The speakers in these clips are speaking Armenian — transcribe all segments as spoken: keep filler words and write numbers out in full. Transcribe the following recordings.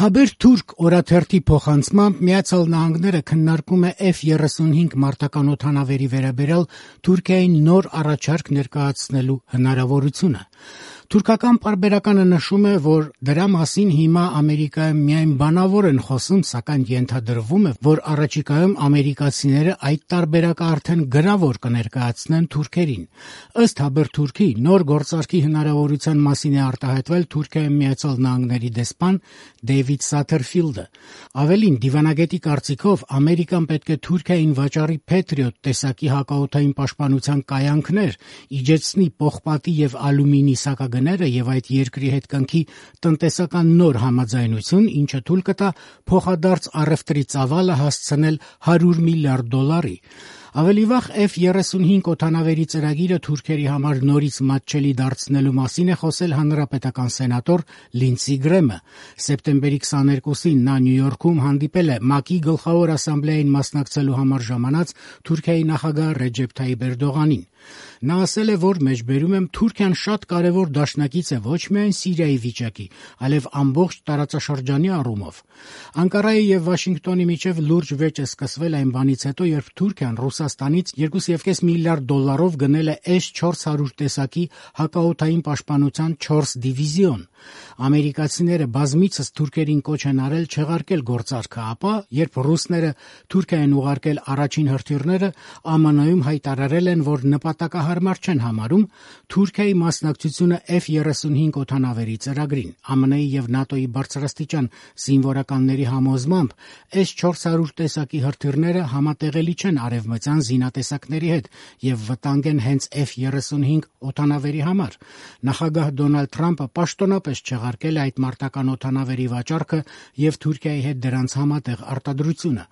Haberturk օրաթերթի փոխանցմամբ Միացյալ Նահանգները քննարկում է F thirty-five մարտական օդանավերի վերաբերյալ Թուրքիային նոր առաջարկ ներկայացնելու հնարավորությունը։ Թուրքական պարբերականը նշում է, որ դրա մասին հիմա Ամերիկայում միայն բանավոր են խոսում, սակայն ենթադրվում է, որ առաջիկայում ամերիկացիները այդ տարբերակը արդեն գրավոր կներկայացնեն թուրքերին։ Ըստ Haberturk-ի նոր գործարքի հնարավորության մասին է արտահայտվել Թուրքիայի Միացյալ Նահանգների դեսպան Դեյվիդ Սաթերֆիլդը։ Ավելին, դիվանագետի կարծիքով Ամերիկան պետք է Թուրքիային վաճառի Patriot տեսակի հակաօդային պաշտպանության կայանքներ, իջեցնի պողպատի եւ ալյումինի սակագները եւ այդ երկրի հետ կնքի տնտեսական նոր համաձայնություն, ինչը թույլ կտա փոխադարձ առևտրի ծավալը հասցնել one hundred միլիարդ դոլարի։ Ավելի վաղ F thirty-five օդանավերի ծրագիրը Թուրքերի համար նորից մատչելի դարձնելու մասին է խոսել հանրապետական սենատոր Լինդսի Գրեմը։ Սեպտեմբերի twenty-second-ին նա Նյու Յորքում հանդիպել է ՄԱԿ-ի գլխավոր ասամբլեային մասնակցելու համար ժամանած Թուրքիայի նախագահ Ռեջեփ Թայիփ Էրդողանին։ Նա ասել է, որ մեջբերում եմ Թուրքիան շատ կարևոր դաշնակից է ոչ միայն Սիրիայի վիճակի, այլև ամբողջ տարածաշրջանի առումով։ Անկարայի եւ Վաշինգտոնի միջև լուրջ վեճ է սկսվել այն բանից հետո, երբ Թուրքիան Ռուսաստանից two point five միլիարդ դոլարով գնել է S four hundred տեսակի հակաօդային պաշտպանության four դիվիզիոն։ Ամերիկացիները բազմիցս թուրքերին կոչ են արել չեղարկել գործարքը, ապա երբ ռուսները Թուրքիային ուղարկել առաջին հրթիռները, ԱՄՆ-ում հայտարարել են, որ նպատակահարմար չեն համարում Թուրքիայի մասնակցությունը F thirty-five օդանավերի ծրագրին։ ԱՄՆ-ի եւ ՆԱՏՕ-ի բարձրաստիճան զինվորականների համոզմամբ S four hundred տեսակի հրթիռները համատեղելի չեն արևմտյան զինատեսակների հետ եւ վտանգ են հենց F thirty-five օդանավերի համար։ Նախագահ Դոնալդ Թրամփը պաշտոնապես չեղարկել է այդ մարտական օդանավերի վաճառքը եւ Թուրքիայի հետ դրանց համատեղ արտադրությունը։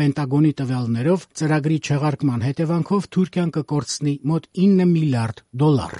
Պենտագոնի տվյալներով ծրագրի չեղարկման հետևանքով Թուրքիան կկորցնի մոտ nine միլիարդ դոլար։